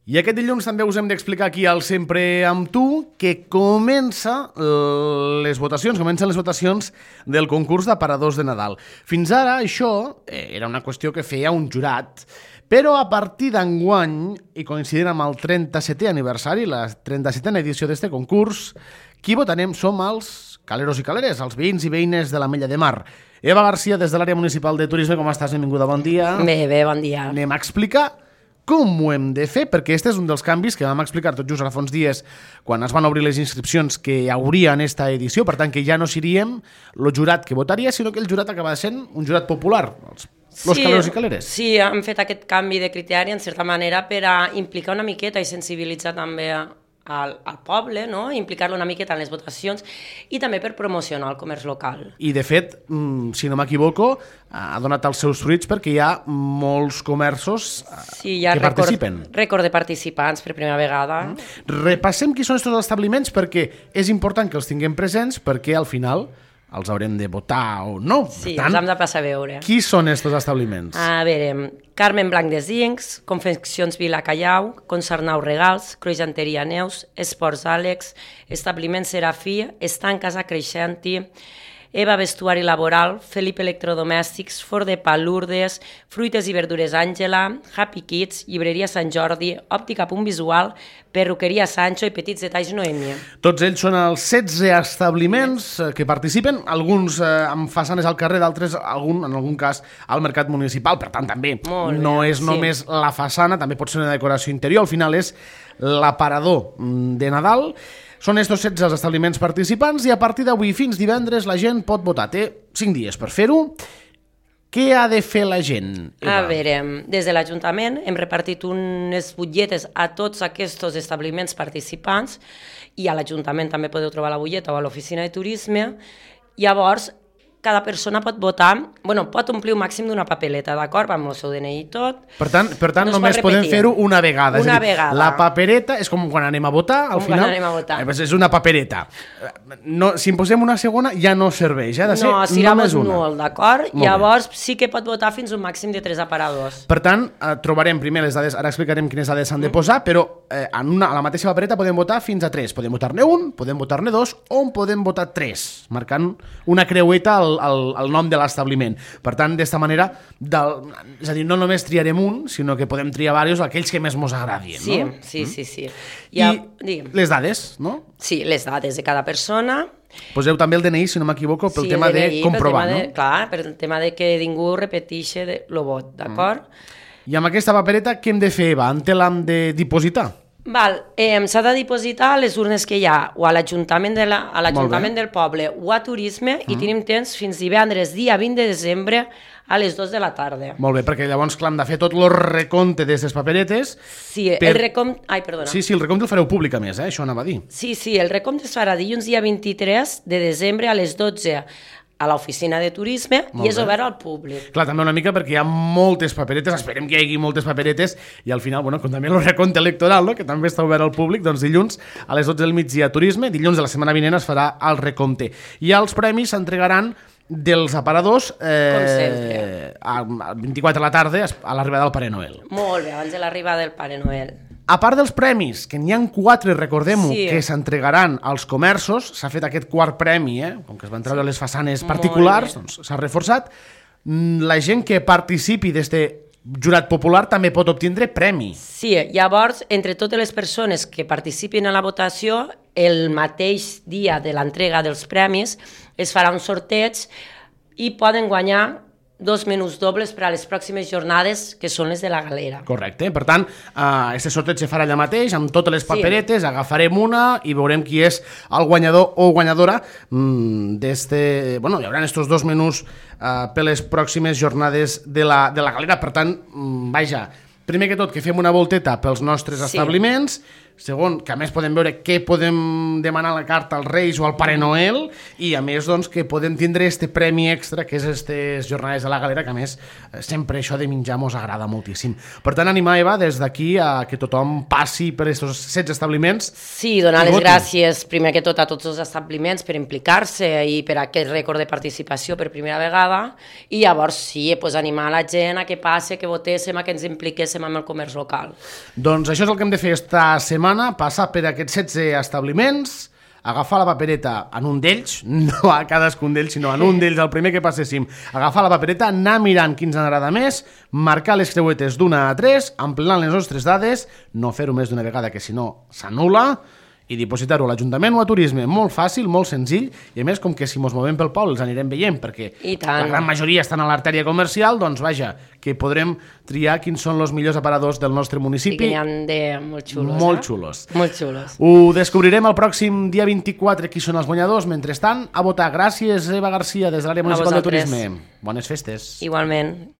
I aquest dilluns també us hem d'explicar aquí al Sempre amb tu que comencen les votacions del concurs d'aparadors de Nadal. Fins ara això era una qüestió que feia un jurat, però a partir d'enguany, i coincidint amb el 37è aniversari, la 37a edició d'este concurs, qui votarem som els caleros i caleres, els veïns i veïnes de l'Ametlla de Mar. Eva Garcia, des de l'àrea municipal de turisme, com estàs? Benvinguda, bon dia. Bé, bon dia. Anem a explicar com ho hem de fer, perquè este és un dels canvis que vam explicar tot just ara fa uns dies quan es van obrir les inscripcions que hi hauria en esta edició, per tant que ja no seríem el jurat que votaria, sinó que el jurat acaba sent un jurat popular, els caleros i caleres. Sí, hem fet aquest canvi de criteri en certa manera per a implicar una miqueta i sensibilitzar també al poble, no? Implicar-lo una miqueta en les votacions i també per promocionar el comerç local. I de fet, si no m'equivoco, ha donat els seus fruits perquè hi ha molts comerços que participen. Rècord de participants per primera vegada. Repassem qui són aquests establiments perquè és important que els tinguem presents perquè al final els haurem de votar o no. Sí, els hem de passar a veure. Qui són aquests establiments? A veure, Carmen Blanc de Zincs, Confeccions Vila Callau, Concernau Regals, Croixanteria Neus, Esports Àlex, Establiment Serafí, Estanc Casa Creixenti, Eva Vestuari Laboral, Felip Electrodomèstics, Fort de Pa Lourdes, Fruites i Verdures Àngela, Happy Kids, Llibreria Sant Jordi, Òptica Punt Visual, Perruqueria Sancho i Petits Detalls Noemia. Tots ells són els 16 establiments que participen, alguns amb façanes al carrer, d'altres, en algun cas, al mercat municipal. Per tant, també no és només la façana, també pot ser una decoració interior. Al final és l'aparador de Nadal. Són estos 16 els establiments participants i a partir d'avui fins divendres la gent pot votar. Té 5 dies per fer-ho. Què ha de fer la gent? A veure, des de l'Ajuntament hem repartit unes butlletes a tots aquests establiments participants i a l'Ajuntament també podeu trobar la butlleta o a l'oficina de turisme. Llavors, cada persona pot votar, pot omplir un màxim d'una papeleta, d'acord? Amb el seu DNI i tot. Per tant només podem fer-ho una vegada. Una vegada. La papereta és com quan anem a votar, al final. Quan anem a votar. És una papereta. Si en posem una segona ja no serveix, ha de ser només una. No, d'acord? Llavors sí que pot votar fins un màxim de 3 aparadors. Per tant, trobarem primer les dades, ara explicarem quines dades s'han de posar, però a la mateixa papereta podem votar fins a 3. Podem votar-ne un, podem votar-ne 2 o en podem votar 3, marcant una creueta el nom de l'establiment. Per tant, d'esta manera, és a dir, no només triarem un, sinó que podem triar diversos, aquells que més mos agradien. Sí. I les dades, no? Sí, les dades de cada persona. Poseu també el DNI, si no m'equivoco, pel tema de comprovar, no? Clar, per el tema de que ningú repeteixi el vot, d'acord? I amb aquesta papereta què hem de fer, Eva? En què l'hem de dipositar? S'ha de dipositar a les urnes que hi ha o a l'Ajuntament del poble o a Turisme i tenim temps fins divendres, dia 20 de desembre a les 2 de la tarda. Molt bé, perquè llavors clar, hem de fer tot el recompte d'aquestes paperetes. Sí, el recompte... Ai, perdona. Sí, el recompte el fareu públic a més, això anava a dir. Sí, el recompte es farà dilluns dia 23 de desembre a les 12 a l'oficina de turisme i és obert al públic. Clar, també una mica perquè hi ha moltes paperetes, esperem que hi hagi moltes paperetes i al final, com també el recompte electoral, que també està obert al públic, doncs dilluns a les 12 del migdia turisme, dilluns de la setmana vinent es farà el recompte. I els premis s'entregaran dels aparadors a 24 de la tarda a l'arribada del Pare Noel. Molt bé, abans de l'arribada del Pare Noel. A part dels premis, que n'hi ha 4, recordem-ho, que s'entregaran als comerços, s'ha fet aquest quart premi, com que es van treure les façanes particulars, doncs s'ha reforçat. La gent que participi d'este jurat popular també pot obtindre premi. Sí, llavors, entre totes les persones que participin en la votació, el mateix dia de l'entrega dels premis es farà un sorteig i poden guanyar 2 menús dobles per a les pròximes jornades, que són les de la galera. Correcte. Per tant, aquest sorteig se farà allà mateix, amb totes les paperetes, agafarem una i veurem qui és el guanyador o guanyadora d'este... hi haurà estos 2 menús per les pròximes jornades de la galera. Per tant, primer que tot, que fem una volteta pels nostres establiments, segon, que a més podem veure què podem demanar a la carta als Reis o al Pare Noel, i a més doncs, que podem tindre este premi extra que és aquestes jornades a la galera, que a més sempre això de menjar mos agrada moltíssim. Per tant, animar, Eva, des d'aquí a que tothom passi per aquests 16 establiments. Sí, donar les gràcies primer que tot a tots els establiments per implicar-se i per aquest rècord de participació per primera vegada, i llavors sí, pues, animar la gent a que passi, que votéssim, a que ens impliquéssim amb el comerç local. Doncs això és el que hem de fer esta setmana, passar per aquests 16 establiments, agafar la papereta en un d'ells, no a cadascun d'ells, sinó en un d'ells, el primer que passéssim, agafar la papereta, anar mirant quins ens agrada més, marcar les creuetes d'1 a 3, emplenant les nostres dades, no fer-ho més d'una vegada, que si no s'anul·la, i dipositar-ho a l'Ajuntament o a Turisme. Molt fàcil, molt senzill, i a més, com que si mos movem pel poble els anirem veient, perquè la gran majoria estan a l'artèria comercial, doncs vaja, que podrem triar quins són els millors aparadors del nostre municipi. Sí, que n'hi ha de molt xulos. Molt xulos. Molt xulos. Ho descobrirem el pròxim dia 24 qui són els guanyadors. Mentrestant, a votar. Gràcies, Eva Garcia, des de l'àrea municipal de Turisme. Bones festes. Igualment.